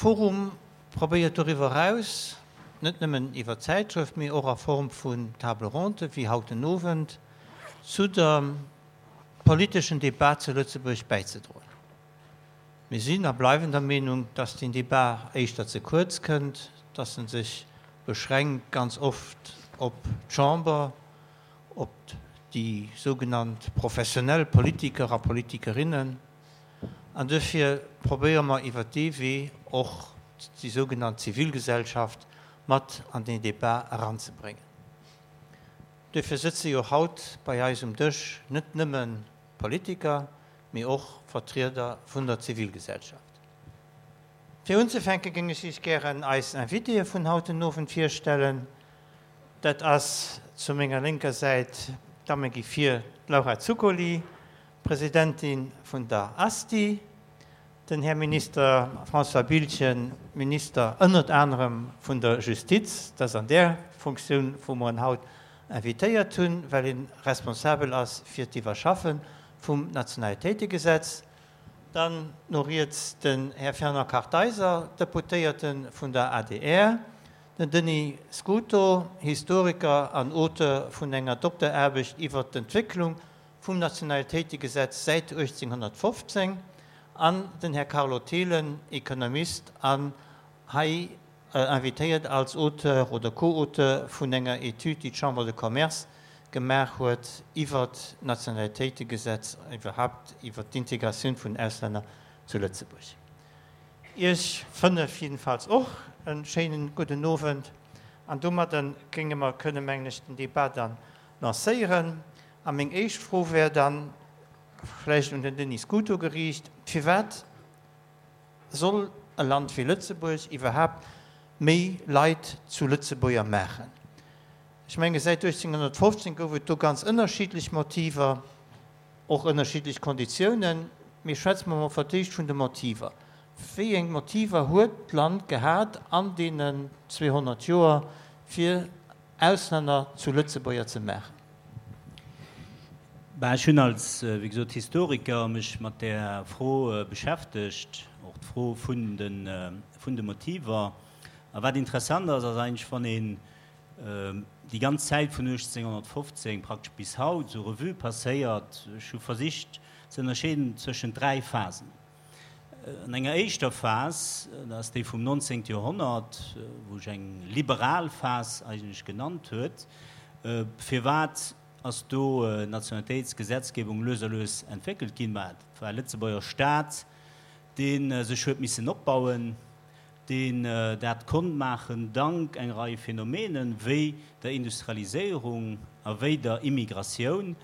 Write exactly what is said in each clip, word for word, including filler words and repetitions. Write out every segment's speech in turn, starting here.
Forum probéiert doriwwer eraus, net nëmmen iwwer d'Zäitschrëft, mee och a Form vun Table ronde wéi haut den Owend, zu der politeschen Debat zu Lëtzebuerg bäizedroen. Mir sinn a bleiwen der Meenung, dass deen Debat éischter ze kuerz kënnt, dass en sech beschränkt ganz oft op d'Chamber, op déi sougenannt professionell Politiker a Politikerinnen. An duerfir probéiere mer iwwert dee Wee och déi sougenannt Zivilgesellschaft mat an deen Debat eranzebréngen. Duerfir sëtze jo haut bei eis um Dësch net nëmme Politiker, mee och Vertrieder vun der Zivilgesellschaft. Fir unzefänke géing ech Iech gären eis Invitéë vun haut den Owend virstellen. Dat ass zu menger lénker Säit, d'Damme gi vir, d'Laura Zuccoli, Presidentin vun der ASTI, den Här Minister François Biltgen, Minister ënnert anerem vun der Justiz, dat ass an där Funktioun, wou mer en haut invitéiert hunn, well en responsabel ass fir d'Iwwerschaffe vum Nationalitéitegesetz, dann no riets den Här Fernand Kartheiser, Deputéierte vun der adr, den Denis Scuto, Historiker an Auteur vun enger Dokteraarbecht iwwert d'Entwécklung vum Nationalitéitegesetz säit uechtzénghonnertfofzéng, an den Här Carlo Thelen, Ekonomist an hei invitéiert als Auteur oder Co-Auteur vun enger Etüd, déi d'Chambre de Commerce gemaach huet iwwert d'Nationalitéitegesetz, iwwerhaupt iwwert d'Integratioun vun Auslänner zu Lëtzebuerg. Iech fënnef jiddefalls och e schéinen gudden Owend. An domadder géinge mer kënnen, mengen ech, den Debat dann lancéieren. A meng éischt Fro wär dann vläicht un den Denis Scuto geriicht: Firwat soll e Land wéi Lëtzebuerg iwwerhaapt méi Leit zu Lëtzebuerger maachen? Ech menge säit uechtzénghonnertfofzéng gouf et do ganz ënnerschiddlech Motiver, och ënnerschiddlech Konditiounen. Mee schwätze mer mol fir d'éischt vun de Motiver. Wéi eng Motiver huet d'Land gehat an deenen zweehonnert Joer, fir Auslänner zu Lëtzebuerger ze maachen? Ben, ech hunn als, wéi gesot, Historiker mech mat där Fro beschäftegt, och d'Fro vun de, vun de Motiver. A wat interessant ass, ass eigentlech, wann een déi ganz Zäit vun uechtzénghonnertfofzéng praktesch bis haut esou Revue passéiert, ech hu versicht ze ënnerscheeden zwëschent dräi Phasen. An enger éischter Phas, dat ass déi vum nonzéngte Joerhonnert, wou ech eng liberal Phas eigentlech genannt huet, firwat ass do d'Nationalitéitsgesetzgebung lues a lues entwéckelt ginn? Mä et war Lëtzebuerger Staat, dee sech huet missen opbauen, deen dat konnt maachen dank eng Rei Phänomenen, wéi der Industrialiséierung a wéi der Immigratioun,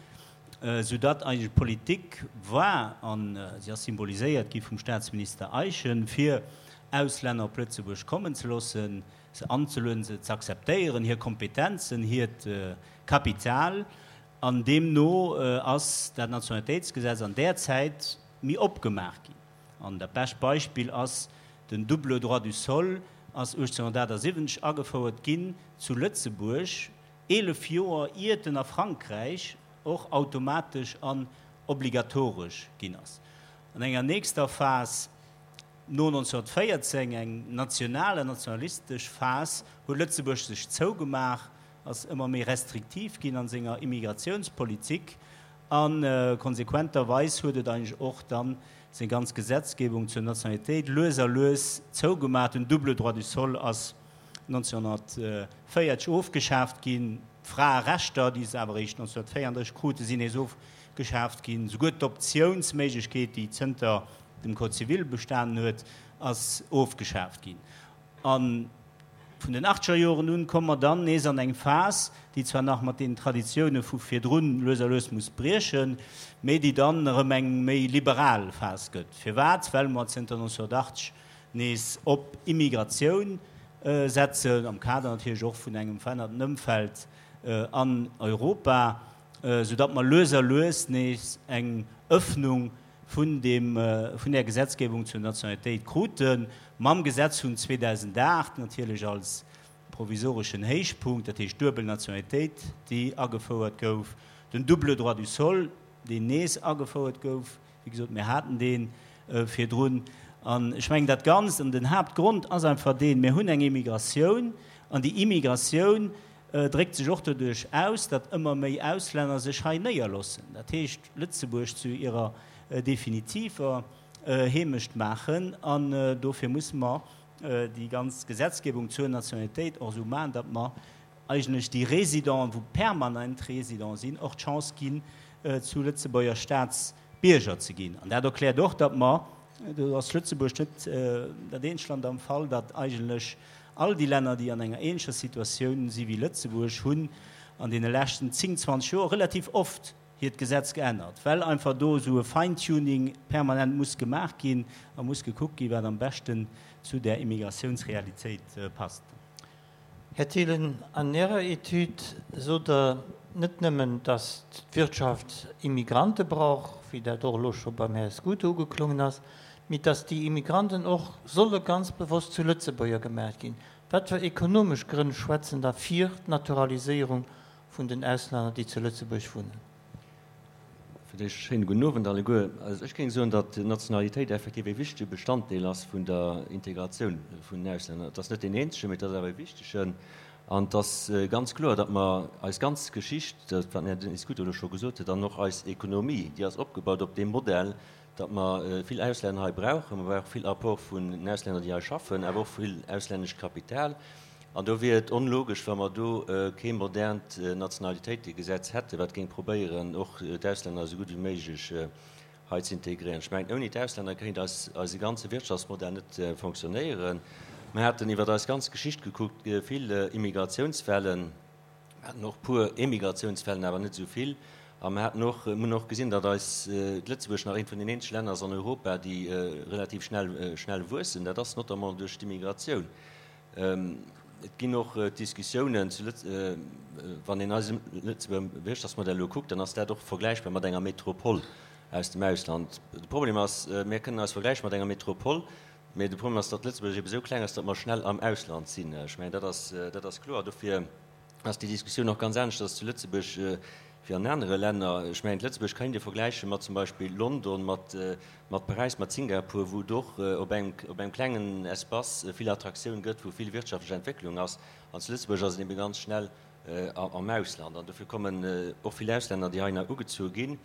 soudatt eigentlech d'Politik war, a si ass symboliséiert gi vum Statsminister Eyschen, fir Auslänner op Lëtzebuerg kommen ze loossen, se anzelueden, se ze akzeptéieren, hir Kompetenzen, hiert Kapital. An deemno ass dat Nationalitéitsgesetz an där Zäit méi opgemaach ginn. An dat bescht Beispill ass den double droit du sol ass uechtzénghonnertaachtsiwwenzeg agefouert ginn zu Lëtzebuerg, eelef Joer iert en a Frankräich och automatesch an obligatoresch ginn ass. An enger nächster Phas, no nonzénhonnertvéierzéng, eng national an nationalistesch Phas, huet Lëtzebuerg sech zougemaach, ass ëmmer méi restriktiv ginn an senger Immigratiounspolitik a konsequenterweis huet et eigentlech och dann seng ganz Gesetzgebung zur Nationalitéit lues a lues zougemaach. Den double droit du sol ass nonzénhonnertvéierzeg ofgeschaaft ginn. D'Fraerechter, déi se awer eréischt nonzénhonnertvéierunddrësseg kruten, sinn nees ofgeschaaft ginn. Souguer d'Optiounsméiglechkeet, déi zënter dem Code civil bestanen huet, ass ofgeschaaft ginn. A vun den achtzeger Joren un komme mer dann nees an eng Phas, déi zwar nach mat deenen Traditioune vu virdrun lues a lues muss briechen, mee déi dann erëm eng méi liberal Phas gëtt. Firwat? Well mer zënter nonzénhonnertachtzeg nees op Immigratioun setzen, am Kader natierlech och vun engem verännerten Ëmfeld an Europa, soudatt mer lues a lues nees eng Öffnung vun deem, vun där Gesetzgebung zur Nationalitéit kruten, mam Gesetz vun zweedausendacht natierlech als provisoreschen Héichpunkt, dat heescht d'duebel Nationalitéit, déi agefouert gouf, den double droit du sol, deen nees agefouert gouf, wéi gesot, mir haten dee virdrun. An ech mengen dat Ganzt, an den Haaptgrond ass einfach deen, mir hunn eng Immigratioun, an déi Immigratioun dréckt sech och doduerch aus, datt ëmmer méi Auslänner sech hei néierloossen, dat heescht Lëtzebuerg zu hirer definitiver Heemecht maachen. An dofir musse mer déi ganz Gesetzgebung zur Nationalitéit och esou maachen, datt mer eigentlech déi Résidenten, wou permanent Résidents sinn, och d'Chance ginn, zu Lëtzebuerger Staatsbierger ze ginn. An dat erkläert och, datt mer, do ass Lëtzebuerg net dat eenzegt Land am Fall, datt eigentlech all déi Länner, déi an enger ähnlecher Situatioun si wéi Lëtzebuerg, hunn an deene leschten zéng, zwanzeg Joer relativ oft hiert Gesetz geännert, well einfach do esou e Fine-Tuning permanent muss gemaach ginn a muss gekuckt ginn, wat am beschten zu där Immigratiounsrealitéit passt. Här Thielen, an Ärer Etüd sot Der net nëmmen, datt d'Wirtschaft Immigrante brauch, wéi dat och elo scho beim Här Scuto ugeklongen ass, mee datt déi Immigranten och solle ganz bewosst zu Lëtzebuerger gemaach ginn. Wat fir ekonomesch Grënn schwätzen da fir d'Naturaliséierung vun den Auslänner, déi zu Lëtzebuerg wunnen? Fir d'éischt e schéine gudden Owend alleguer. Also ech géing soen, datt d'Nationalitéit effektiv e wichtege Bestanddeel ass vun der Integratioun vun den Auslänner. Et ass net deen eenzegen, mee et ass awer e wichtegen. An et ass ganz kloer, datt mer eis ganz Geschicht, dat wat den Här Denis Scuto elo scho gesot huet, an och eis Ekonomie, déi ass opgebaut op deem Modell, datt mer vill Auslänner hei brauchen. Mer brauche vill Apport vun den Auslänner, déi hei schaffen, awer och vill auslännescht Kapital. An do wier et onlogesch, wa mer do kee modernt Nationalitéitegesetz hätten, wat géing probéieren, och d'Auslänner esou gutt wéi méiglech hei ze integréieren. Ech mengen, ouni d'Auslänner kéint eis eise ganze Wirtschaftsmodell net fonctionnéieren. Mer haten iwwer eis ganz Geschicht gekuckt vill Immigratiounswellen. Mer haten och e puer Emigratiounswellen, awer net esou vill. A mer haten och, mer hunn och gesinn, datt eis, Lëtzebuerg nach eent vun den eenzege Länner ass an Europa, déi relativ schnell, schnell wuessen. Dat ass notamment duerch d'Immigratioun. Et ginn och Diskussiounen zu Lëtz, wann een eise Lëtzebuerger Wirtschaftsmodell elo kuckt, dann ass dat och vergläichbar mat enger Metropole aus dem Ausland. De Problem ass, mir kënnen eis vergläiche mat enger Metropole, mä de Problem ass, datt Lëtzebuerg ebe sou kleng ass, datt mer schnell am Ausland sinn. Ech mengen, dat ass, dat ass kloer. Dofir ass déi Diskussioun och ganz aneschters zu Lëtzebuerg wéi an anere Länner. Ech mengen, Lëtzebuerg kéint ee vergläiche mat zum Beispill London, mat, mat Paräis, mat Singapur, wou et och op engem, op engem klengen Espace vill Attraktioun gëtt, wou vill wirtschaftlech Entwécklung ass. An zu Lëtzebuerg ass et ebe ganz schnell am Ausland. An dofir kommen och vill Auslänner, déi heihinner ugezu ginn,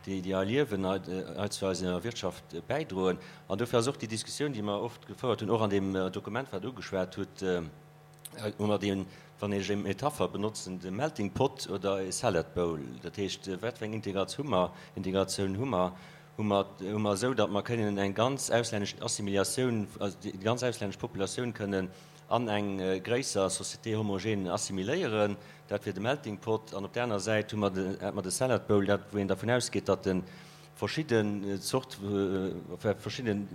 déi, déi hei liewen, hei, hei zu eiser Wirtschaft bäidroen. An dofir ass och déi Diskussioun, déi mer oft gefouert hunn, och an deem Dokument, wat Der ugeschwat hutt, hu mer deen, wann ech eng Metapher benotzen, de Melting Pot oder e Salad Bowl. Dat heescht, wat fir eng Integratioun hu mer? Integratioun hu mer? Hu mer, hu mer esou, datt mer kënnen eng ganz auslännesch Assimiliatioun, also déi ganz auslännesch Populatioun kënnen an eng gréisser Société homogène assimiléieren? Dat wier de Melting Pot. An op där aner Säit hu mer de, hätt mer de Salad Bowl, dat, wou een dervun ausgeet, datt de verschidden Zort, verschidden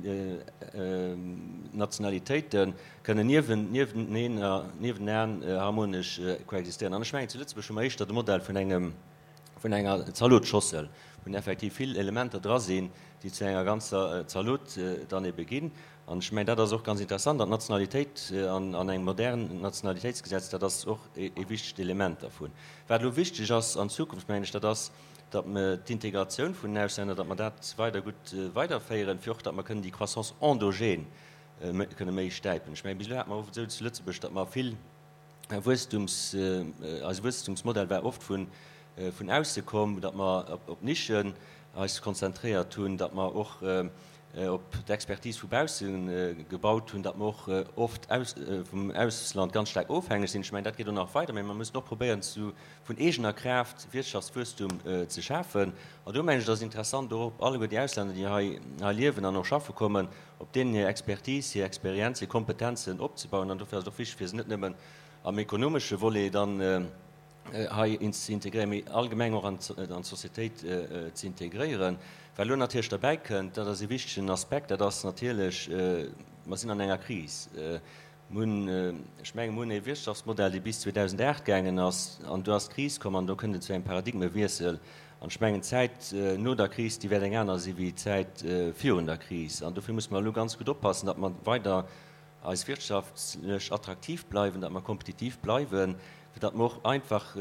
Nationalitéite kënnen nieweneen, niewenaan harmonesch koexistéieren. An ech mengen, zu Lëtzebuerg hu mer éischter de Modell vun engem, vun enger Zalotsschossel, wou effektiv vill Elementer dra sinn, déi zu enger ganzer Zalot dann ebe ginn. An ech mengen, dat ass och ganz interessant. An d'Nationalitéit an engem modernen Nationalitéitsgesetz, dat ass och e wichtegt Element dervun. Wat elo wichteg ass an Zukunft, mengen ech, dat ass, datt mer d'Integratioun vun den Auslänner, datt mer dat weider gutt weiderféieren, fir och datt mer kënnen déi Croissance endogène kënne méi stäipen. Ech mengen, bis elo hate mer oft esou zu Lëtzebuerg, datt mer vill Wuesstums, eise Wuesstumsmodell war oft vun vun ausse komm, datt mer op Nischen eis konzentréiert hunn, datt mer och op d'Expertise vu bausse gebaut hunn, datt mer och oft vum Ausland ganz staark ofhängeg sinn. Ech mengen, dat geet och nach weider, mä mer mussen och probéieren, vun eegener Kraaft Wirtschaftswuesstum ze schafen. An do mengen ech, et ass interessant, och op alleguer déi Auslänner, déi hei liewen an och schaffe kommen, op deenen hir Expertise, hir Experienz, hir Kompetenzen opzebauen. An dofir ass et och wichteg, fir se net nëmmen am ekonomesche Volet dann hei ze integréieren, mee allgemeng och an d'Societéit ze integréieren. Wat elo natierlech derbäi kënnt, dat ass e wichtegen Aspekt, dat ass natierlech, mer sinn an enger Kris. Mer hunn, ech mengen, mer hunn e Wirtschaftsmodell, dee bis zweedausendacht gaangen ass, an do ass d'Kris komm an do kënnt et zu engem Paradigmewiessel. An ech mengen, d'Zäit no der Kris, déi wäert eng aner si wéi d'Zäit virun der Kris. An dofir musse mer elo ganz gutt oppassen, datt mer weider eis wirtschaftlech attraktiv bleiwen, datt mer kompetitiv bleiwen, fir datt mer och einfach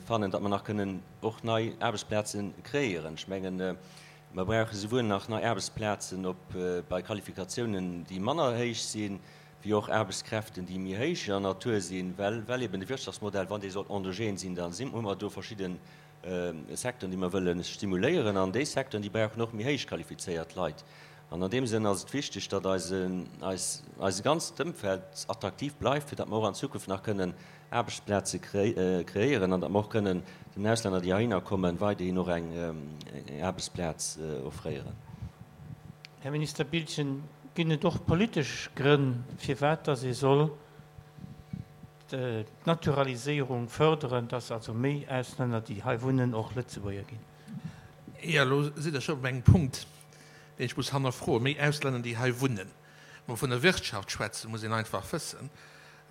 fannen, datt mer nach kënnen och nei Aarbechtsplaze kreéieren. Ech mengen, Mer brauche souwuel nach nei Aarbechtsplazen op bei Qualifikatiounen, déi manner héich sinn, wéi och Aarbechtskräften, déi méi héijer Natur sinn, well well eben de Wirtschaftsmodell, wann dee soll endogen sinn, da sinn hu mer do verschidde Secteuren, déi mer wëlle stimuléieren, an déi Secteuren, déi brauchen och méi héich qualifizéiert Leit. An an deem Sënn ass et wichteg, datt eise eis eise ganzt Ëmfeld attraktiv bleift, fir datt mer och an Zukunft nach kënnen Aarbechtsplaze kreéieren an datt mer och kënnen den Auslänner, déi heihinner kommen, weiderhin och eng Aarbechtsplaz offréieren. Här Minister Biltgen, ginn et och politesch Grënn, firwat datt ee soll d'Naturaliséierung fërderen, datt also méi Auslänner, déi hei wunnen, och Lëtzebuerger ginn? Jo, elo sidd Der scho op engem Punkt, deen ech muss hannerfroen. Méi Auslänner, déi hei wunnen. Wa mer vun der Wirtschaft schwätzen, muss een einfach wëssen,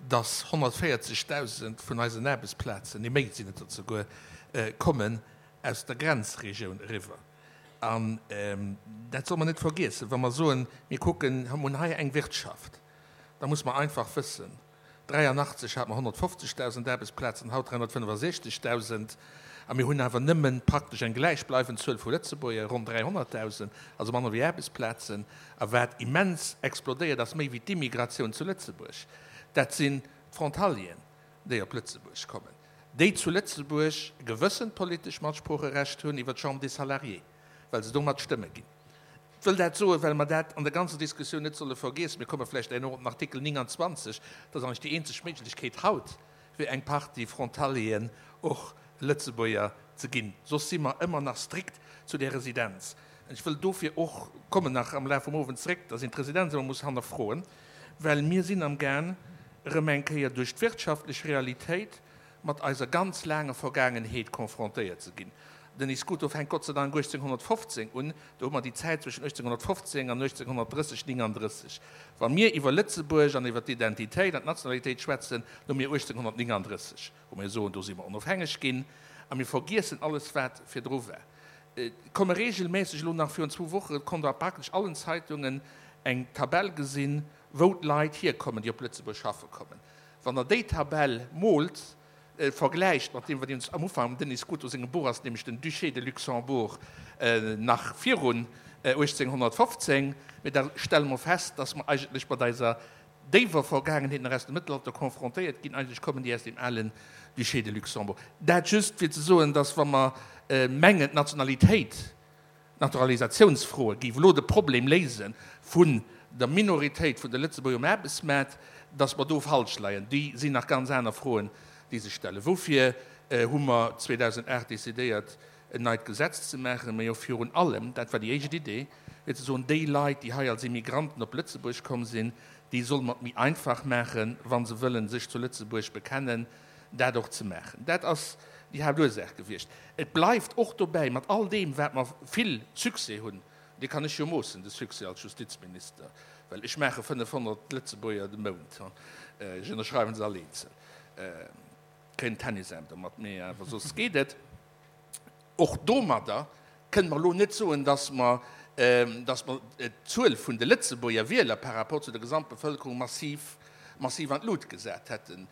dass honnertvéierzegdausend vun eisen Aarbechtsplazen, nee méi sinn et der zeguer, kommen aus der Grenzregioun eriwwer. An dat solle mer net vergiessen, wa mer soen, mir kucken, hunn hei eng Wirtschaft, da muss mer einfach wëssen, dräianachtzeg hate mer honnertfofzegdausend Aarbechtsplazen, haut dräihonnertfënnefasechzegdausend, a mir hunn awer nëmme praktesch eng gläichbleiwend Zuel vu Lëtzebuerger, ronn dräihonnertdausend, also manner wéi Aarbechtsplazen. A wat immens explodéiert ass, méi wéi d'Immigratioun zu Lëtzebuerg, dat sinn d'Frontalieren, déi op Lëtzebuerg kommen, déi zu Lëtzebuerg e gewëssent politesch Matsproocherecht hunn iwwer d'Chambre des Salariés, well se do mat Stëmme ginn. Ech wëll dat soen, well mer dat an der ganzer Diskussioun net solle vergiessen. Mir komme vläicht herno op den Artikel nénganzwanzeg. Dat ass eigentlech déi eenzeg Méiglechkeet haut, fir eng Partie Frontalieren och Lëtzebuerger ze ginn. Soss si mer ëmmer nach strikt zu där Residenz. Ech wëll dofir och, kommen nach am Laf vum Owend zréck, dass een d'Residenz ëmmer muss hannerfroen, well mir sinn amgaang, erëm eng Kéier duerch d'wirtschaftlech Realitéit mat eiser ganz laanger Vergaangenheet confrontéiert ze ginn. Den Escuto fänkt Gott sei Dank uechtzénghonnertfofzéng un, do hu mer déi Zäit zwëschen uechtzénghonnertfofzéng an uechtzénghonnertdrësseg, nénganddrësseg. Wa mir iwwer Lëtzebuerg an iwwer d'Identitéit an d'Nationalitéit schwätzen, da hu mir uechtzénghonnertnénganddrësseg, wou mir soen, do si mer onofhängeg ginn, a mir vergiessen alles, wat virdru war. Et komme reegelméisseg, elo nach virun zwou Woche konnt Der a praktesch allen Zeitungen eng Tabell gesinn, wou d'Leit hierkommen, déi op Lëtzebuerg schaffe kommen. Wann Der déi Tabell moolt, vergläicht mat deem, wat een am Ufank am Denis Scuto sengem Buch ass, nämlech den Duché de Luxembourg nach virun uechtzénghonnertfofzéng, mee da stelle mer fest, dass mer eigentlech mat eiser déiwer Vergaangenheet nach aus dem Mëttelalter confrontéiert ginn. Eigentlech kommen déi aus dem alen Duché de Luxembourg. Dat just fir ze soen, dass wa mer mengen, d'Nationalitéit, D'Naturalisatiounsfroe géif elo de Problem léise vun der Minoritéit vun de Lëtzebuerger um Aarbechtsmaart, datt mer do falsch leien. Déi sinn nach ganz aner Froen, déi sech stellen. Woufir hu mer zweedausendacht decidéiert, en neit Gesetz ze maachen? Mä jo virun allem, dat war déi éischt Idee, fir ze soen, déi Leit, déi hei als Immigranten op Lëtzebuerg komm sinn, déi solle mer et méi einfach maachen, wa se wëllen sech zu Lëtzebuerg bekennen, dat och ze maachen. Dat ass déi Haaptursaach gewiescht. Et bleift och dobäi, mat all deem, wat mer vill Succès hunn, dee kann ech jo moossen, de Succès als Justizminister, well ech maache fënnefhonnert Lëtzebuerger de Mount, ech ënnerschreiwen se all eenzel, kréien en Tennisaarm domat, mee awer soss geet et. Och domadder kënne mer elo net soen, dass mer, dass mer d'Zuel vun de Lëtzebuerger Wieler par rapport zu der Gesamtbevëlkerung massiv, massiv an d'Lut gesat hätten.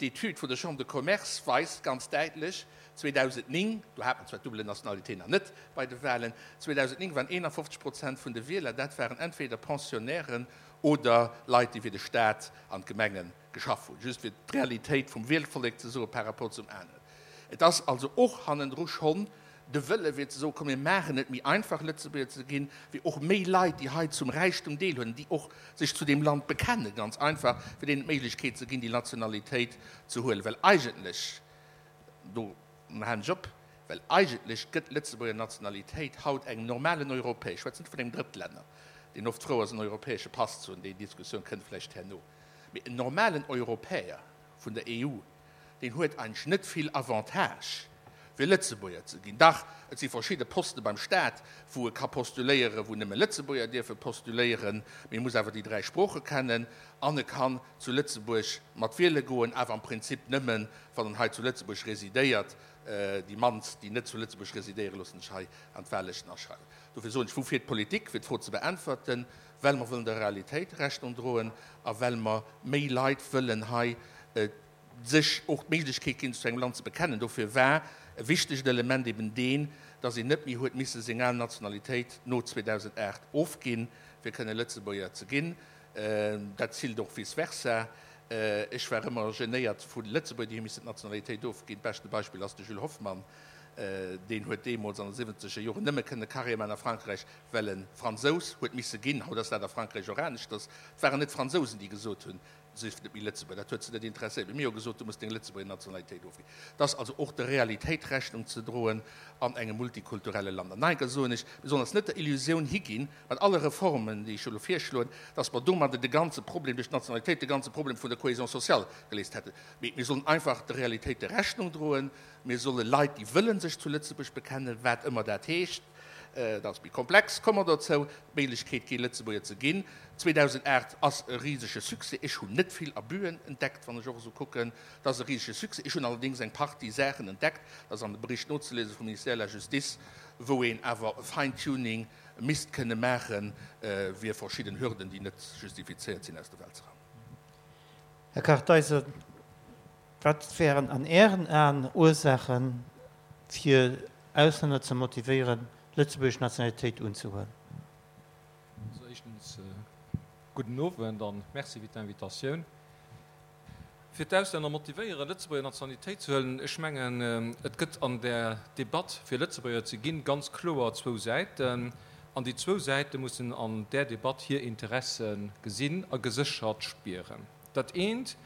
D'Etüd vun der Chambre de Commerce weist ganz däitlech, zweedausendnéng, do hat mer zwar d'double Nationalité nach net bei de Wahlen, zweedausendnéng waren eenafofzeg Prozent vun de Wieler, dat waren entweder Pensionnairen oder Leit, déi fir de Staat an d'Gemenge geschaff hunn. Just fir d'Realitéit vum Wielvollek ze soe par rapport zum aneren. Et ass also och hannendru schonn de Wëlle fir ze soen, komm mir maachen et méi einfach Lëtzebuerger ze ginn, fir och méi Leit, déi hei zum Räichtum deelhuelen, déi och sech zu deem Land bekennen, ganz einfach, fir deenen d'Méiglechkeet ze ginn, déi Nationalitéit ze huelen. Well eigentlech, do halen ech op, well eigentlech gëtt d'Lëtzebuerger Nationalitéit haut engem normalen Europäer, ech schwätzen net vun engem Drëttlänner, deen oft frou ass en europäesche Pass ze hunn, déi Diskussioun kënnt vläicht herno, mee en normalen Europäer vun der E U, deen huet eigentlech net vill Avantage, fir Lëtzebuerger ze ginn. Dach, et si verschidde Poste beim Staat, wou e ka postuléieren, wou nëmme Lëtzebuerger dierfe postuléieren, mee e muss awer déi dräi Sprooche kennen an e kann zu Lëtzebuerg mat wiele goen, awer am Prinzip nëmmen, wann en hei zu Lëtzebuerg residéiert. Déi mannst, déi net zu Lëtzebuerg residéieren, loossen sech hei an d'Wahllëschten aschreiwen. Dofir soen ech, woufir d'Politik, fir d'Fro ze beäntwerten, well mer wëllen der Realitéit Rechnung droen a well mer méi Leit wëllen hei sech och d'Méiglechkeet ginn, sech zu engem Land ze bekennen. Dofir war e wichtegt Element eben deen, dass een net méi huet misse seng al Nationalitéit no zweedausendacht ofginn, fir kënne Lëtzebuerger ze ginn. Dat zielt och vice versa. Ech war ëmmer genéiert vu Lëtzebuerger, déi hu missen d'Nationalitéit ofginn. D'beschte Beispill ass de Jules Hoffmann. Deen huet deemools an de siwwenzeger Joren nëmme kënne Carrière maachen a Frankräich, well e Fransous huet misse ginn. Haut ass dat a Frankräich och aneschters. Et waren net d'Fransousen, déi gesot hunn, Sief net méi Lëtzebuerger. Dat huet se net interesséiert. Mee mir hu gesot, Du muss deng Lëtzebuerger Nationalitéit ofginn. Et ass also och der Realitéit Rechnung ze droen an engem multikulturelle Land. An nach eng Kéier soen ech, mir sollen eis net der Illusioun higinn, mat alle Reformen, déi ech elo virschloen, dass mer domadder de ganze Problem duerch d'Nationalitéit, de ganze Problem vun der Cohésion sociale geléist hätten. Mee mir sollen einfach de Realitéite Rechnung droen. Mir solle Leit, déi wëllen sech zu Lëtzebuerg bekennen, wat ëmmer dat heescht, dat ass méi komplex, komme mer dozou, d'Méiglechkeet ginn, Lëtzebuerger ze ginn. zweedausendacht ass e risege Succès. Ech hunn net vill Abüen entdeckt, wann ech och esou kucken. Dat ass e risege Succès. Ech hunn allerdéngs eng Partie Saachen entdeckt, dat ass an de Bericht nozeliese vum Ministère de la Justice, wou een awer e Fine-Tuning misst kënne maachen, fir verschidden Hürden, déi net justifizéiert sinn, aus der Welt ze raumen. Här Kartheiser, wat wären an Ären Aen Ursaachen, fir Auslänner ze motivéieren, lëtzebuergesch Nationalitéit unzehuelen? Also éischtens gudden Owend an Merci fir d'Invitatioun. Fir d'Auslänner motivéieren, Lëtzebuerger Nationalitéit ze huelen, ech mengen, et gëtt an där Debatt, fir Lëtzebuerger ze ginn, ganz kloer zwou Säiten. An déi zwou Säite mussen an där Debatt hir Interesse gesinn a geséchert spieren. Dat eent,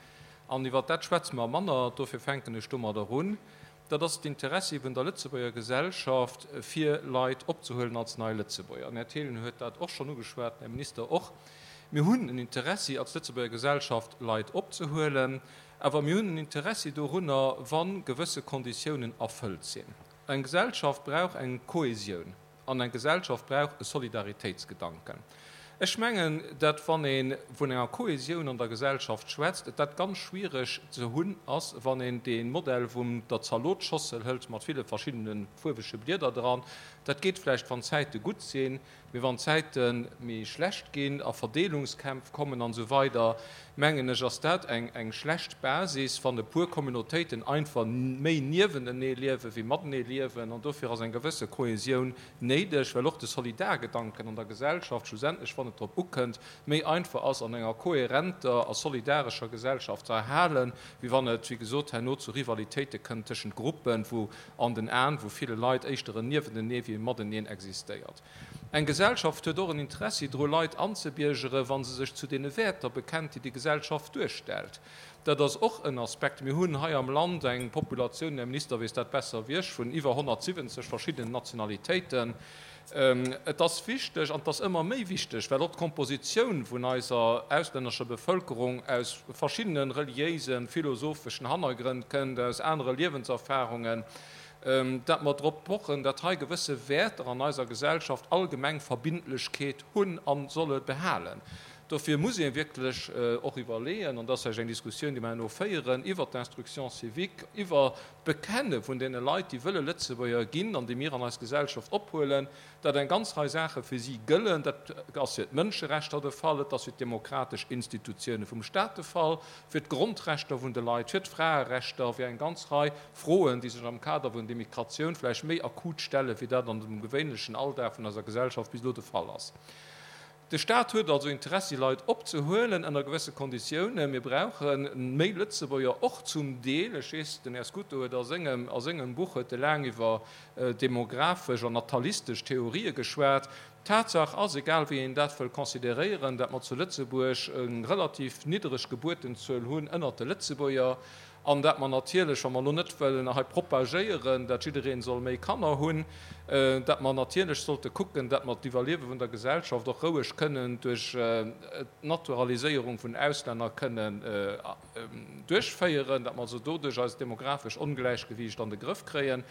an iwwert dat schwätze mer manner, dofir fänken ech domadder un, dat ass d'Interessi vun der Lëtzebuerger Gesellschaft, fir Leit opzehuelen als nei Lëtzebuerger. Den Här Thelen huet dat och schonn ugeschwat, den Här Minister och. Mir hunn en Interessi als Lëtzebuerger Gesellschaft, Leit opzehuelen, awer mir hunn en Interessi dorunner, wa gewësse Konditiounen erfëllt sinn. Eng Gesellschaft brauch eng Kohesioun an eng Gesellschaft brauch e Solidaritéitsgedanken. Ech mengen, datt wann ee vun enger Kohesioun an der Gesellschaft schwätzt, et dat ganz schwiereg ze hunn ass, wann een dee Modell vun der Zalotsschossel hëlt mat ville verschiddene fuerwege Blieder dran. Dat geet vläicht, wann d'Zäite gutt sinn, mee wann d'Zäite méi schlecht ginn a Verdeelungskämpf kommen an esou weider, mengen ech, ass dat eng schlecht Basis, wann e puer Communautéiten einfach méi niewentenee liewe wéi matenee liewen. An dofir ass eng gewësse Kohesioun néideg, well och de Solidargedanken an der Gesellschaft schlussendlech, wann et drop ukënnt, méi einfach ass an enger kohärenter a solidarescher Gesellschaft ze erhalen, wéi wann et, wéi gesot, herno zu Rivalitéite kënnt tëschent Gruppen, wou an den Aen vu ville Leit éischter en Niewentenee wéi e Mateneen existéiert. Eng Gesellschaft huet och en Interessi dru Leit anzebiergeren, wa se sech zu deene Wäerter bekennt, déi déi Gesellschaft duerstellt. Dat ass och en Aspekt. Mir hunn hei am Land eng Populatioun, den Här Minister weess dat besser wéi ech, vun iwwer honnertsiwwenzeg verschiddenen Nationalitéiten. Et ass wichteg, an et ass ëmmer méi wichteg, well och d'Kompositioun vun eiser auslännescher Bevëlkerung aus verschiddene reliéisen, philosopheschen Hannergrënn kënnt, aus anere Liewenserfarungen, dat mer drop pochen, dat hei gewësse Wäerter an eiser Gesellschaft allgemeng Verbindlechkeet hunn a solle behalen. Dofir muss ee wierklech och iwwerleeën, an dat ass vläicht eng Diskussioun, déi mer herno féieren, iwwert d'Instruction civique, iwwer d'Bekenne vun deene Leit, déi wëlle Lëtzebuerger ginn an déi mir an eis Gesellschaft ophuelen, datt eng ganz Rei Saache fir si gëllen. Dat ass fir d'Mënscherechter de Fall, et ass fir d'demokratesch Institutioune vum Stat de Fall, fir d'Grondrechter vun de Leit, fir d'Fraerechter, fir eng ganz Rei Froen, déi sech am Kader vun der Migratioun vläicht méi akut stellen, wéi dat an dem gewéinlechen Alldag vun eiser Gesellschaft bis elo de Fall ass. De Staat huet also Interessi, Leit opzehuelen ënner gewësse Konditiounen. Mir brauche méi Lëtzebuerger, och zum Deel, ech weess, den Här Scuto huet a sengem, a sengem Buch huet e laang iwwer demographesch an natalistesch Theorië geschwat. Tatsaach ass, egal wéi een dat wëll consideréieren, dat mer zu Lëtzebuerg eng relativ niddereg Gebuertenzuel hunn ënnert de Lëtzebuerger. An dat mer natierlech, wa mer elo net wëllen hei propagéieren, dat jiddereen soll méi Kanner hunn, dat mer natierlech sollte kucken, dat mer d'Iwwerliewe vun der Gesellschaft och roueg kënnen duerch d'Naturaliséierung vun Auslänner kënnen duerchféieren, dat mer also doduerch eist demographesch Ongläichgewiicht an de Grëff kréien.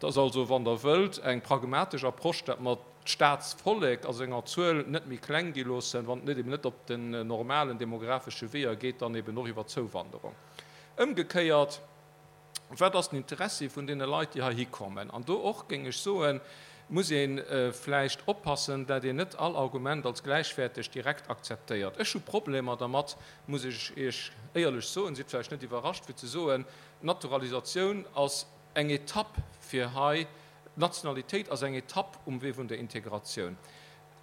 Dat ass also, wann Der wëllt, eng pragmatesch Approche, dat mer d'Staatsvollek a senger Zuel net méi kleng gi loossen, wann et net eben net op den normalen demographesche Weeër geet, dann eben och iwwer Zouwanderung. Ëmgekéiert, wat ass den Interessi vun deene Leit, déi heihi kommen? An do och, géing ech soen, muss ee vläicht oppassen, dat een net all Argument als gläichwäerteg direkt akzeptéiert. Ech hu Problemer dermat, muss ech Iech éierlech soen, sidd vläicht net iwwerrascht, fir ze soen, d'Naturalisatioun ass eng Etapp, fir hei D'Nationalitéit ass eng Etapp um Wee vun der Integratioun.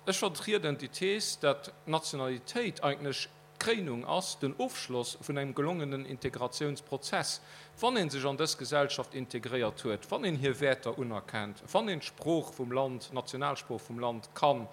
Ech vertrieden déi Thees, dat d'Nationalitéit eigentlech d'Kréinung ass, den Ofschloss vun engem gelongenen Integratiounsprozess. Wann ee sech an dës Gesellschaft integréiert huet, wann een hir Wäerter unerkennt, wann een d'Sprooch vum Land, d'Nationalsprooch vum Land kann,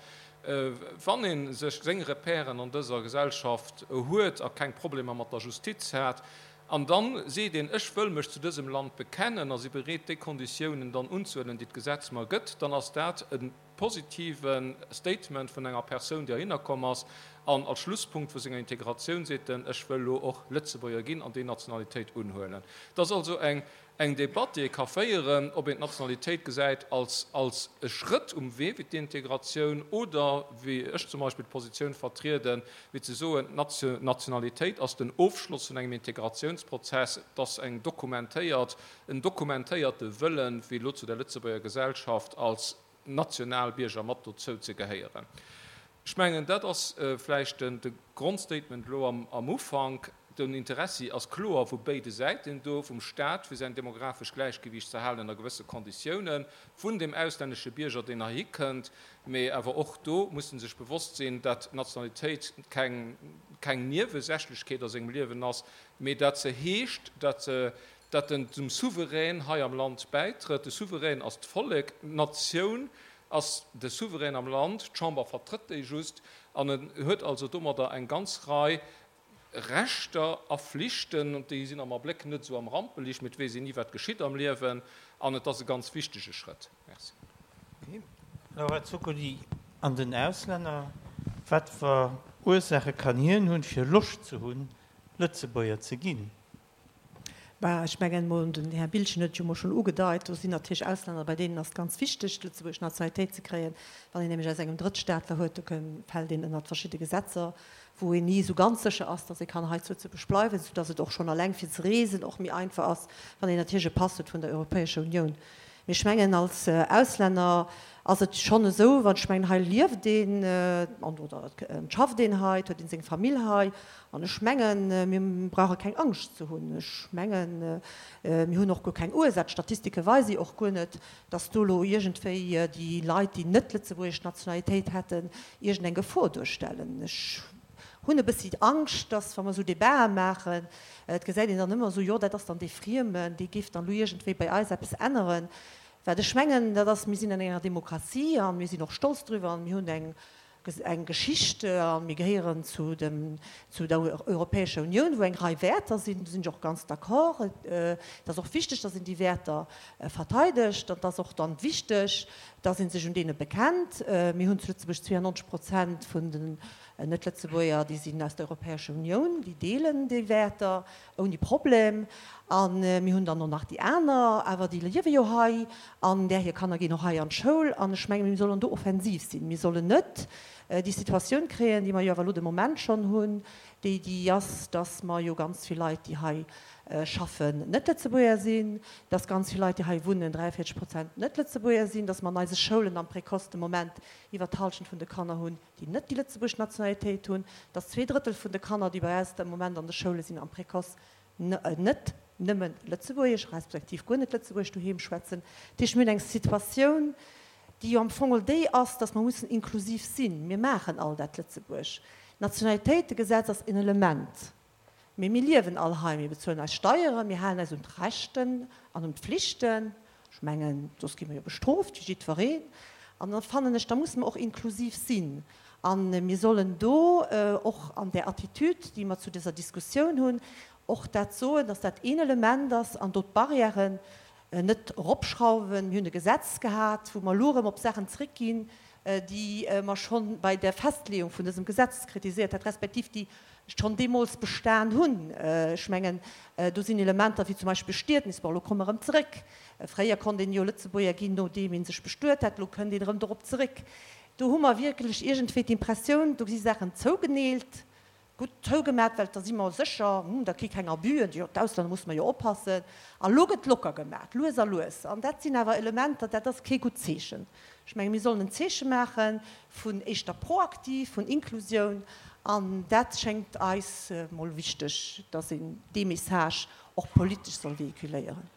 wann ee sech seng Repèren an dëser Gesellschaft huet a keng Problemer mat der Justiz hat, an dann seet een, ech wëll mech zu dësem Land bekennen a si bereet déi Konditiounen dann unzehuelen, déi d'Gesetz mer gëtt, dann ass dat e positive Statement vun enger Persoun, déi heihinner komm ass an als Schlusspunkt vu senger Integratioun seet en, ech wëll elo och Lëtzebuerger ginn an déi Nationalitéit unhuelen. Et ass also eng eng Debatt, déi ee ka féieren, ob een d'Nationalitéit gesäit als als e Schrëtt um Wee fir d'Integratioun oder, wéi ech zum Beispill d'Positioun vertrieden, wéi ze soen, d'Nationalitéit ass den Ofschloss vun engem Integratiounsprozess, et ass eng dokumentéiert, en dokumentéierte Wëllen, fir elo zu der Lëtzebuerger Gesellschaft als Nationalbierger mat dozou ze gehéieren. Ech mengen, dat ass vläicht de Grondstatement elo am Ufank. Den Interessi ass kloer vu béide Säiten do, vum Stat, fir säin demografesch Gläichgewiicht ze halen ënner gewësse Konditiounen, vun dem auslännesche Bierger, deen heihi kënnt. Mee awer och do muss en sech bewosst sinn, dat d'Nationalitéit keng, keng Niewesächlechkeet a sengem Liewen ass, mee dat se heescht, dat se, dat en zum Souverän hei am Land bäitrëtt. De Souverän ass d'Vollek, d'Natioun ass de Souverän am Land, d'Chamber vertrëtt déi just, an en huet also domadder eng ganz Rei Rechter a Flichten, und déi sinn am Abléck net esou am Rampeliicht, mee et weess een ni, wat geschitt am Liewen, an et ass e ganz wichtege Schrëtt. Merci. Laura Zuccoli, An den Auslänner, wat fir Ursaache kann hien hunn, fir Loscht ze hunn, Lëtzebuerger ze ginn? Bah, ech mengen emol, den Här Biltgen huet et jo emol schonn ugedeit, do sinn natierlech Auslänner, bei deenen ass et ganz wichteg, d'lëtzebuergesch Nationalitéit ze kréien. Wann een nämlech aus engem Drëttstaatler huet, do fält een ënnert verschidde Gesetzer, wou een ni esou ganz sécher ass, datt ee kann hei zu Lëtzebuerg bleiwen, soudatt et och schonn alleng fir ze reesen och méi einfach ass, wann een natierlech e Pass huet vun der Europäescher Unioun. Mee ech mengen, als Auslänner ass et schonn esou, wann, ech mengen, hei lieft een an oder et schafft een hei, et huet een seng Famill hei. An ech mengen, mir brauche keng Angscht ze hunn. Ech mengen, mir hunn och guer keng Ursaach, d'Statistike weise jo och guer net, datt do elo iergendwéi déi Leit, déi net lëtzebuergesch Nationalitéit hätten, iergendeng Gefor duerstellen. Ech hunn e bëssi Angscht, datt, wa mer esou Debatë maachen, et gesäit een dann ëmmer esou, jo, dat ass dann dee Friemen, dee géif dann elo iergendwéi bei eis eppes änneren. Wat ech mengen, dat ass, mir sinn an enger Demokratie a mir sinn och stolz driwwer an mir hunn eng, eng Geschicht a mir gehéieren zu dem, zu der Europäescher Unioun, wou eng Rei Wäerter sinn. Do sinn ech och ganz d'accord. Et ass och wichteg, datt een déi Wäerter verteidegt. An et ass och dann wichteg, datt ee sech un deene bekennt. Mir hunn zu Lëtzebuerg zweeënnonzeg Prozent vun den Net-Lëtzebuerger, déi sinn aus der Europäescher Unioun, déi deelen déi Wäerter ouni Problem. A mir hunn dann och nach déi aner, awer déi liewe jo hei an där hir Kanner ginn och hei an d'Schoul. An ech menge mir sollen do offensiv sinn. Mir sollen net déi Situatioun kréien, déi mer jo awer elo de Moment schonn hunn, déi déi ass, dass mer jo ganz vill Leit, déi hei schaffen, Net-Lëtzebuerger sinn, dass ganz vill Leit, déi hei wunnen, dräianvéierzeg Prozent Net-Lëtzebuerger sinn, dass mer an eise Schoulen am Précoce de Moment iwwer d'Hallschent vun de Kanner hunn, déi net déi lëtzebuergesch Nationalitéit hunn, dass zwee Drëttel vun de Kanner, déi bei eis de Moment an de Schoule sinn am Précoce, net nëmme Lëtzebuergesch respektiv guer net Lëtzebuergesch doheem schwätzen. Dat heescht, mir hunn eng Situatioun, déi jo am Fong geholl déi ass, dass mer mussen inklusiv sinn. Mir maachen all dat Lëtzebuerg. D'Nationalitéitegesetz ass en Element. Mee mir liewen all hei, mir bezuelen eis Steieren, mir halen eis un d'Rechten an un d'Pflichten. Ech mengen, soss gi mer jo bestrooft, wéi jiddwereen. An da fannen ech, da musse mer och inklusiv sinn. A mir sollen do och an där Attitüd, déi mer zu dëser Diskussioun hunn, och dat soen, dass dat een Element ass an do d'Barrièren net eropschrauwen. Mir hunn e Gesetz gehat, wou mer elo erëm op Saachen zréckginn, déi mer scho bei der Festleeung vun dësem Gesetz kritiséiert hat, respektiv déi schonn deemools bestan hunn. Ech mengen, do sinn Elementer wéi zum Beispill Bestietnis, bon, elo komme mer erëm zeréck. Fréier konnt een jo Lëtzebuerger ginn, nodeem ee sech bestuet hat, elo kënnt een erëm dorop zeréck. Do hu mer wierklech iergendwéi d'Impressioun, do si Saachen zougeneelt, Gutt zougemat, well da si mer sécher, hm, da ki keng Abüen, jo, d'Auslänner musse mer jo oppassen. An elo gëtt locker gemat, lues a lues. An dat sinn awer Elementer, dat ass kee gutt Zeechen. Ech menge mir sollen en Zeeche maache vun éischter proaktiv, vun Inklusioun. An dat schéngt eis mol wichteg, dass een dee Message och politesch soll véhiculéieren.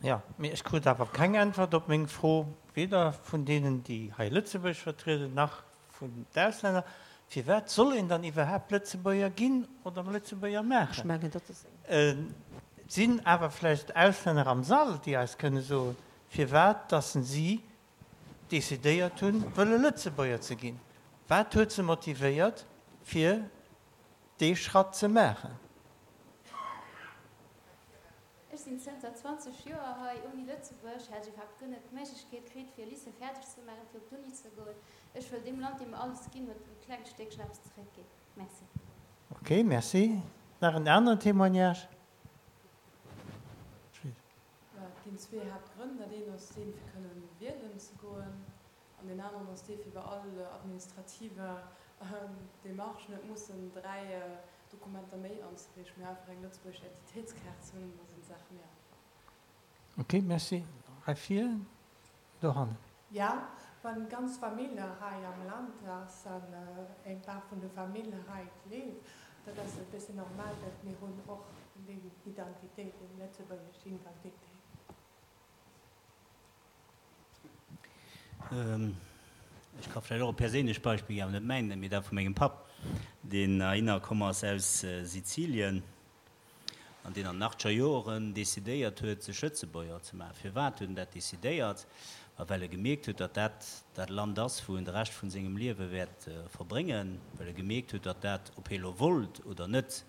Jo, mee ech krut awer keng Äntwert op meng Fro, weder vun deenen, déi hei Lëtzebuerg vertrieden, nach vun d'Auslänner. Firwat soll een dann iwwerhaapt Lëtzebuerger ginn oder Lëtzebuerger maachen? Ech mengen, dat ass eng. Et sinn awer vläicht Auslänner am Sall, déi eis kënne soen, firwat dass si decidéiert hunn, wëlle Lëtzebuerger ze ginn. Wat huet se motivéiert, fir dee Schratt ze maachen? Ech sinn zënter zwanzeg Joer hei. Ouni Lëtzebuerg hätt ech iwwerhaapt guer net d'Méiglechkeet kritt, fir e Lycée fäerdeg ze maachen, fir op d'Uni ze goen. Ech wëll deem Land, deem mer alles ginn huet, e klengt Stéckchen eppes zeréckginn. Merci. Ok, merci. Nach en aneren Témoignage? Et ginn zwee Haaptgrënn. Dat eent ass deen, fir kënnen wielen ze goen, an deen aneren ass dee, fir bei all administrativer Demarche net mussen dräi Dokumenter méi anzereechen, mee einfach eng lëtzebuergesch Identitéitskaart ze hunn, an da sinn d'Saache méi einfach. Ok, merci. Hei vir, dohannen. Ja, wann d'ganz Famill hei am Land ass an eng Part vun der Famill hei leeft, dat ass e bëssen normal, datt mir hunn och déi Identitéit, déi lëtzebuergesch Identitéit. Ech ka vläicht och e perséinlecht Beispill ginn, awer net mäin, mee dat vu mengem Papp, deen heihinner komm ass aus Sizilien an deen an den achtscher Joren decidéiert huet, sech Lëtzebuerger ze maachen. Firwat huet en dat decidéiert? Ma well e gemierkt huet, datt dat dat Land ass, wou en de Rescht vun sengem Liewe wäert verbréngen, well e gemierkt huet, datt dat, ob hie lo wollt oder net,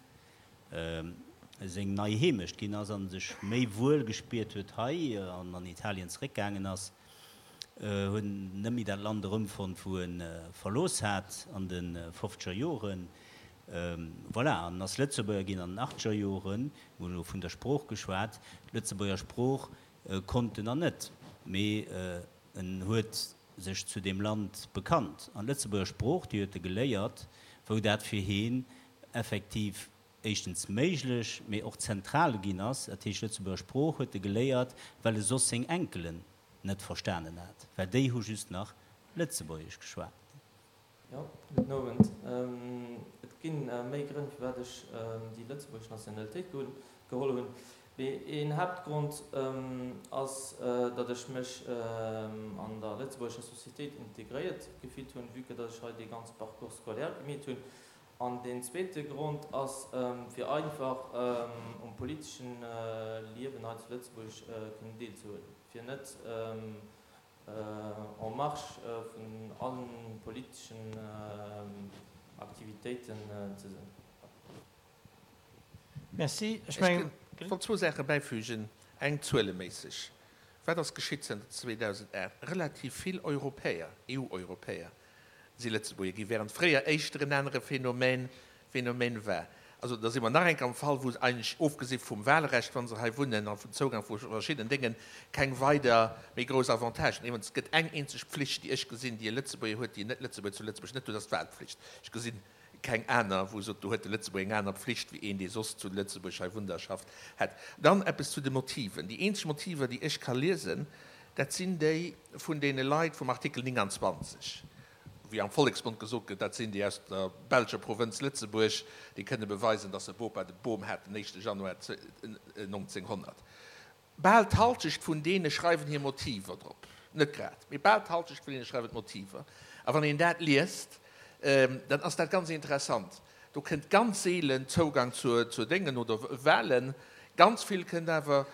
seng nei Heemecht ginn ass an sech méi wuel gespiert huet hei an an Italien zeréckgaangen ass, huet en net méi dat Land erëmfonnt, wou e verlooss hat an de fofzeger Joren. Voilà, an ass Lëtzebuerger ginn an den achtscher Joren. Mir hunn elo vun der Sprooch geschwat. D'Lëtzebuerger Sprooch konnt en nach net, mee en huet sech zu deem Land bekannt. An d'Lëtzebuerger Sprooch, déi huet e geléiert, wou dat fir hien effektiv éischtens méiglech, mee och zentral ginn ass. Dat heescht, d'Lëtzebuerger Sprooch huet e geléiert, well e soss seng Enkelen net verstanen hat, well déi hu just nach Lëtzebuergesch geschwat. Jo, gudden Owend. Et gi méi Grënn, firwat ech déi lëtzebuergesch Nationalitéit geholl hunn. Mee een Haaptgrond ass, datt ech mech an der lëtzebuergescher Societéit integréiert gefillt hunn, vue que datt ech hei dee ganze Parcours scolaire gemeet hunn. An deen zweete Grond ass, fir einfach um politeschen Liewen hei zu Lëtzebuerg kënnen deelzehuelen, fir net en marge vun allen politeschen Aktivitéiten ze sinn. Merci. Ech mengen. Ech wollt zwou Saache bäifügen. Eng zueleméisseg. Wat ass geschitt zënter zweedausendacht? Relativ vill Europäer, E U-Europäer, si Lëtzebuerger ginn, während fréier éischter en anere Phänomen, Phänomen war. Also da si mer nach eng Kéier am Fall, wou eigentlech, ofgesi vum Wahlrecht, wa se hei wunnen, a vum Zougang vu verschiddenen Déngen, keng weider méi grouss Avantagen. Iwwregens, et gëtt eng eenzeg Pflicht, déi ech gesinn, déi e Lëtzebuerger huet, déi en Net-Lëtzebuerger zu Lëtzebuerg net huet, dat ass d'Wahlpflicht. Ech gesinn keng aner, wou e sot, do huet de Lëtzebuerger eng aner Pflicht wéi een, dee soss zu Lëtzebuerg hei wunnt a schafft, hätt. Dann eppes zu de Motiven. Déi eenzeg Motiver, déi ech ka liesen, dat sinn déi vun deene Leit vum Artikel neunundzwanzeg. Wéi am Volleksmond gesot gëtt, dat sinn déi aus der belscher Provënz Lëtzebuerg, déi kënne beweisen, datt se Bopa de Boom hat den éischte Januar nonzénghonnert. Bal d'Halschecht vun deene schreiwen hir Motiver drop. Net grad, mee bal d'Halschecht vun deene schreiwen d'Motiver. A wann een dat liest, dann ass dat ganz interessant. Do kënnt ganz seelen Zougang zur, zur Déngen oder Wahlen. Ganz vill kënnt awer,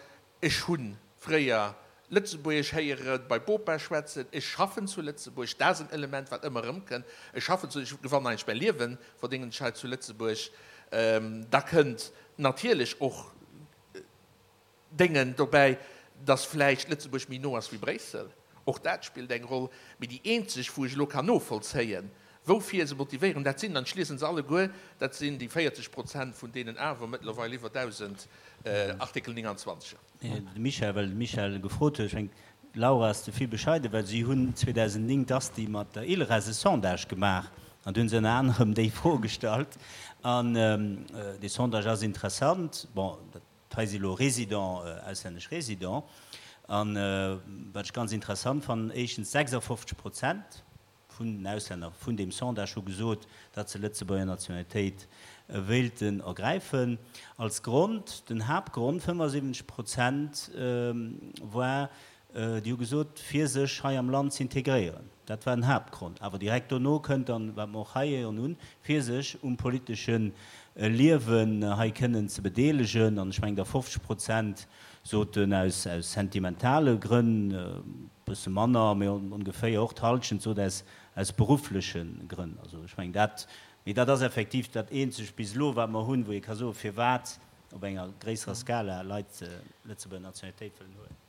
ech hunn fréier Lëtzebuergesch héiere bei Bopa schwätzen, ech schaffen zu Lëtzebuerg, dat ass en Element, wat ëmmer erëmkënnt, ech schaffen zu, ech gewannen eigentlech mäi Liewen, verdéngen ech hei zu Lëtzebuerg. Da kënnt natierlech och Déngen dobäi, dass vläicht Lëtzebuerg méi no ass wéi Bréissel, och dat spillt eng Roll. Mee déi eenzeg, wou ech elo kann novollzéien, woufir se motivéieren, dat sinn, an ech liese se alleguer, dat sinn déi véierzeg Prozent vun deenen awer mëttlerweil iwwer dausend Artikel neunundzwanziger. De Michel, well de Michel gefrot huet, ech mengen, d'Laura ass ze vill bescheiden, well si hunn zweedausendnéng d'Asti mat der ILRES e Sondage gemaach an do hunn se ënner anerem déi Fro gestallt. An dee Sondage ass interessant. Bon, dat hei si lo Résidents, auslännesch Résidents. An wat ech ganz interessant fannen, éischtens sechsundfünfzig Prozent vun den Auslänner vun deem Sondage hu gesot, datt se Lëtzebuerger Nationalitéit wéilten ergräifen. Als Grond, den Haaptgrond, fënnefasiwwenzeg Prozent, war, déi hu gesot, fir sech hei am Land z'integréieren. Dat war den Haaptgrond. Awer direkt dono kënnt dann, wat mer och hei héieren hunn, fir sech um politesche Liewen hei kënnen ze bedeelegen. An ech mengen, der fofzeg Prozent soten aus sentimentale Grënn, e bësse manner, mee ongeféier och d'Hallschent sot aus aus beruffleche Grënn. Also ech mengen dat, mee dat ass effektiv dat eenzegt bis elo, wat mer hunn, wou ee ka soen, firwat op enger gréisserer Skala Leit d'Lëtzebuerger Nationalitéit wëllen huelen.